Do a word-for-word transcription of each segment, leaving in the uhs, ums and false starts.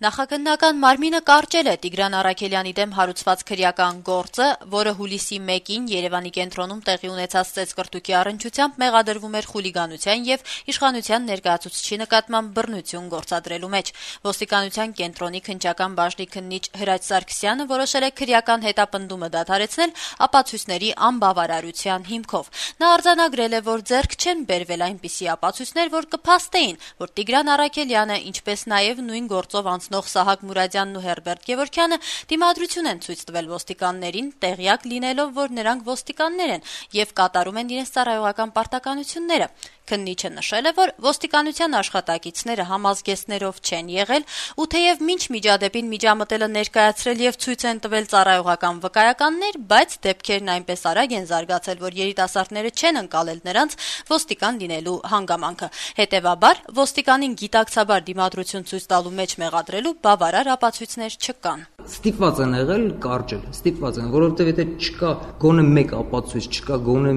Նախագնական մարմինը կարճել է Տիգրան Առաքելյանի դեմ հարուցված քրեական գործը, որը հուլիսի մեկին Երևանի կենտրոնում տեղի ունեցած ծեծկռտուքի առնչությամբ մեղադրվում էր խուլիգանության եւ իշխանության ներկայացուցչի նկատմամբ բռնություն գործադրելու մեջ։ Ոստիկանության կենտրոնի քննչական բաժնի քննիչ Հրաչ Սարգսյանը որոշել է քրեական հետապնդումը դադարեցնել ապացույցների անբավարարության հիմքով։ Նա արձանագրել է, որ ձեռք չեն բերվել այնպիսի ապացույցներ, որ կփաստեին, որ Տիգրան Առաքելյանը, ինչպես նաեւ նույն գործով անցնող Սահակ Մուրադյանն ու Հերբերտ Գևորգյանը դիմադրություն են ցույց տվել ոստիկաններին, տեղյակ լինելով, որ նրանք ոստիկաններ են եւ կատարում են իրենց ծառայողական պարտականությունները։ Քննիչը նշել է, որ ոստիկանության աշխատակիցները համազգեստներով չեն եղել, ու թեև մինչ միջադեպին միջամտելը ներկայացրել եւ ցույց են տվել ծառայողական վկայականներ, բայց դեպքերն այնպես արագ են զարգացել, որ երիտասարդները չեն ընկալել նրանց ոստիկան լինելու հանգամանքը։ Հետևաբար, ոստիկանին գիտակցաբար դիմադրություն ցույց տալու մեջ մեղադրելու բավարար ապացույցներ չկան։ Ստիպված են եղել կարճել, ստիպված են, որովհետեւ եթե չկա գոնե մեկ ապացույց, չկա գոնե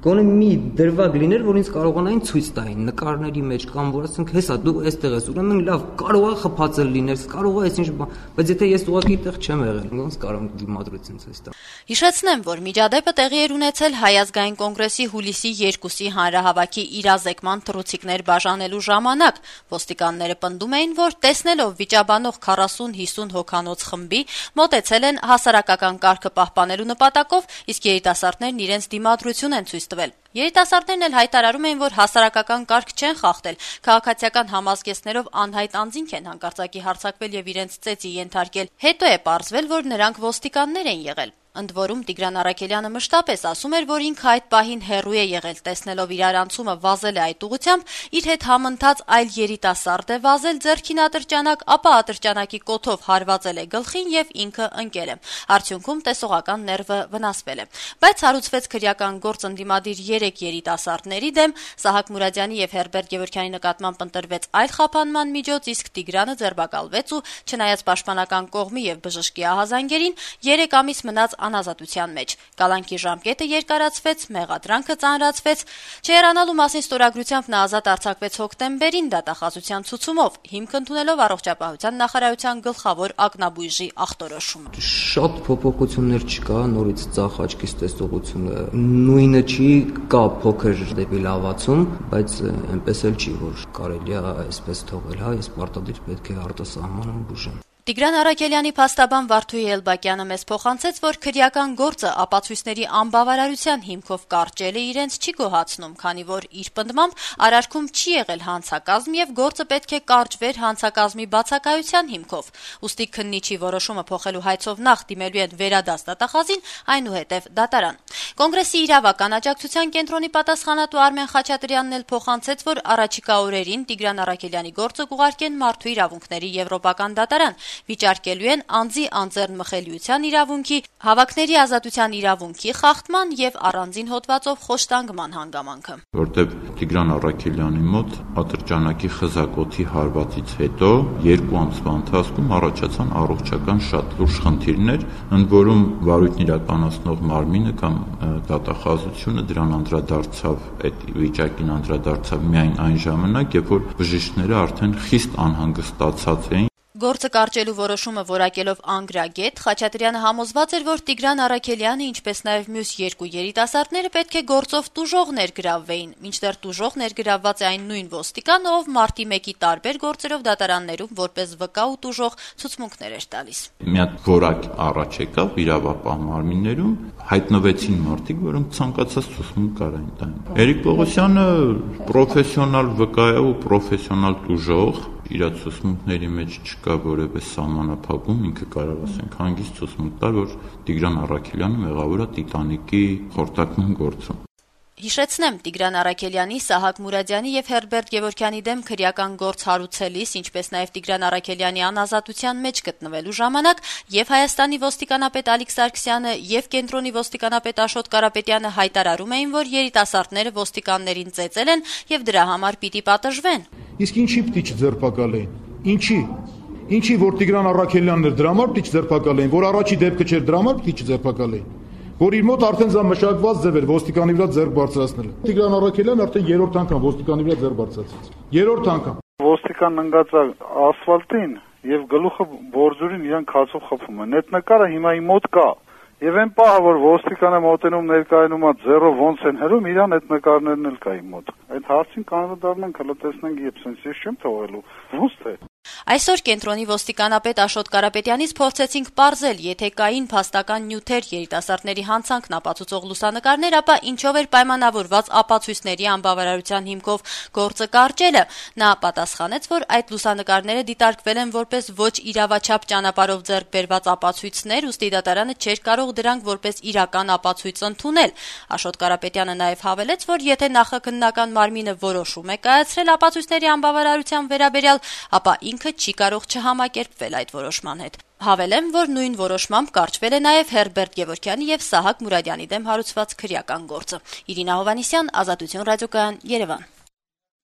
Գոնե մի դրվագ լիներ, որ ինձ կարողանային ցույց տային նկարների մեջ կամ որ ասենք, հեսա դու այստեղ ես, ուրեմն լավ, կարող է խփածել լինել, կարող է այսինչ բան, բայց եթե ես ուղղակի այդտեղ չեմ եղել, ոնց կարող եմ դիմադրություն ցույց տալ։ Հիշեցնեմ, որ միջադեպը տեղի էր ունեցել Հայ ազգային կոնգրեսի հուլիսի երկուսի հանրահավաքի իրազեկման թռուցիկներ բաժանելու ժամանակ։ Ոստիկանները պնդում էին, որ տեսնելով վիճաբանող քառասուն-հիսուն հոգանոց խմբի մոտեցել են հասարակական կարգը պահպանելու նպատակով, իսկ երիտասարդներն իրենց դիմադրություն են ցույց տվել։ Երիտասարդներն էլ հայտարարում էին, որ հասարակական կարգ չեն խախտել, քաղաքացիական համազգեստներով անհայտ անձինք են հանկարծակի հարձակվել եւ իրենց ծեծի ենթարկել։ Հետո է պարզվել, որ նրանք ոստիկաններ են եղել։ Ընդ որում Տիգրան Առաքելյանը մշտապես ասում էր, որ ինքը այդ պահին հեռու է եղել, տեսնելով իրարանցումը վազել է այդ ուղությամբ, իր հետ համընթաց այլ երիտասարդ է վազել ձեռքին ատրճանակ, ապա ատրճանակի կոթով հարվածել է գլխին եւ ինքը ընկել է։ Արդյունքում տեսողական ներվը վնասվել է։ Բայց հարուցվեց քրեական գործ ընդդիմադիր երեք երիտասարդների դեմ, Սահակ Մուրադյանի եւ Հերբերտ Գևորգյանի նկատմամբ ընտրվեց այլ խափանման միջոց, իսկ Տիգրանը ձերբակալվեց ու չնայած պաշտպանական կողմի եւ բժշկի ահազանգերին երեք ամիս մնաց անազատության մեջ։ Կալանքի ժամկետը երկարացվեց, մեղադրանքը ծանրացվեց։ Չհեռանալու մասին ստորագրությամբ նա ազատ արձակվեց հոկտեմբերին դատախազության ցուցումով, հիմք ընդունելով առողջապահության նախարարության գլխավոր ակնաբույժի ախտորոշումը։ Շատ փոփոխություններ չկա, նորից ծախ աչքից տեսողությունը նույնը չի, կա փոքր դեպի լավացում, բայց այնպես էլ չի, որ կարելի է այսպես թողել, հա, ես պարտադիր պետք է արտասահմանում բուժեմ։ Տիգրան Առաքելյանի փաստաբան Վարդուհի Էլբակյանը մեզ փոխանցեց, որ քրեական գործը ապացույցների անբավարարության հիմքով կարճել է իրենց չի գոհացնում, քանի որ իր պնդմամբ արարքում չի եղել հանցակազմ եւ գործը պետք է կարճվեր հանցակազմի բացակայության հիմքով։ Ուստի քննիչի որոշումը փոխելու հայցով նախ դիմելու են վերադաս դատախազին, այնուհետև դատարան։ Կոնգրեսի իրավական աջակցության կենտրոնի պատասխանատու Արմեն Խաչատրյանն էլ փոխանցեց, որ առաջիկա օրերին Տիգրան Առաքելյանի գործը կուղարկեն Մարդու իրավունքների եվրոպական դատարան։ Վիճարկելու են անձի անձեռն մխելիության իրավունքի, հավաքների ազատության իրավունքի խախտման եւ առանձին հոդվածով խոշտանգման հանգամանքը։ Որտեւ Տիգրան Առաքելյանի մոտ ատրճանակի խզակոթի հարվածից հետո երկու ամսվա ընթացքում առաջացան առողջական շատ լուրջ խնդիրներ, ընդ որում վարույթն իրականացնող մարմինը կամ դատախազությունը դրան անդրադարձավ, այդ վիճակին անդրադարձավ միայն այն ժամանակ, երբ որ բժիշկները արդեն խիստ անհանգստացած էին։ Գործը կարճելու որոշումը որակելով անգրագետ, Խաչատրյանը համոզված էր, որ Տիգրան Առաքելյանը, ինչպես նաև մյուս երկու երիտասարդները պետք է գործով տուժող ներգրավվեին, մինչդեռ տուժող ներգրավված է այն նույն ոստիկանը, ով մարտի մեկի տարբեր գործերով դատարաններում որպես վկա ու տուժող ցուցմունքներ էր տալիս։ Մի հատ որակ առաջ եկավ իրավապահ մարմիններում, հայտնվեցին մարդիկ, որոնք ցանկացած ցուցմունք կարային տան։ Էրիկ Պողոսյանը պրոֆեսիոնալ վկա է ու պրոֆեսիոնալ տուժող, իր ցուցմունքների մեջ չկա որևէ սահմանափակում, ինքը կարող ասենք հանգիստ ցուցմունք տալ, որ Տիգրան Առաքելյանը մեղավոր է Տիտանիկի խորտակման գործում։ Հիշեցնեմ, Տիգրան Առաքելյանի, Սահակ Մուրադյանի եւ Հերբերտ Գևորգյանի դեմ քրեական գործ հարուցելիս, ինչպես նաեւ Տիգրան Առաքելյանի անազատության մեջ գտնվելու ժամանակ եւ Հայաստանի ոստիկանապետ Ալիկ Սարգսյանը եւ կենտրոնի ոստիկանապետ Աշոտ Կարապետյանը հայտարարում էին, որ երիտասարդները ոստիկաններին ծեծել են եւ դրա համար պիտի պատժվեն։ Իսկ ինչի պիտի չձերբակալեին։ Ինչի։ Ինչի որ Տիգրան Առաքելյանն էր դրա համար պիտի չձերբակալեին, որ առաջի դեպքը չէր դրա համար պիտի չձերբակալեին։ Որ իր մոտ արդեն զա մշակված ձև էր ոստիկանի վրա ձեռք բարձրացնելը։ Տիգրան Առաքելյանն արդեն երրորդ անգամ ոստիկանի վրա ձեռք բարձրացրեց։ Երրորդ անգամ։ Ոստիկան ընկած ասֆալտին եւ գլուխը բորձուրին իրան քացով խփում են։ Այդ նկարը հիմա իմ մոտ կա։ Եվ այն պահը, որ ոստիկանը մոտենում ներկայանում է ձեռով ոնց են հրում, իրան այդ նկարներն էլ կա իմ մոտ։ Այդ հարցին կանոնադառնանք, հələ տեսնենք, երբ sense ես չեմ թողելու։ Ոնց թե։ Այսօր կենտրոնի ոստիկանապետ Աշոտ Կարապետյանից փորձեցինք պարզել, եթե կային փաստական նյութեր, երիտասարդների հանցանքն ապացուցող լուսանկարներ, ապա ինչով էր պայմանավորված ապացույցների անբավարարության հիմքով գործը կարճելը։ Նա պատասխանեց, որ այդ լուսանկարները դիտարկվել են որպես ոչ իրավաչափ ճանապարհով ձեռք բերված ապացույցներ, ուստի դատարանը չէր կարող դրանք որպես իրական ապացույց ընդունել։ Աշոտ Կարապետյանը նաև հավելեց, որ եթե նախաքննական մարմինը որոշում է կայացրել ապացույցների անբավարարության վերաբերյալ, ապա ինքը չի կարող չհամակերպվել այդ որոշման հետ։ Հավելեմ, որ նույն որոշմամբ կարճվել է նաև Հերբերտ Գևորգյանի եւ Սահակ Մուրադյանի դեմ հարուցված քրեական գործը։ Իրինա Հովհաննիսյան, Ազատություն ռադիոկայան, Երևան։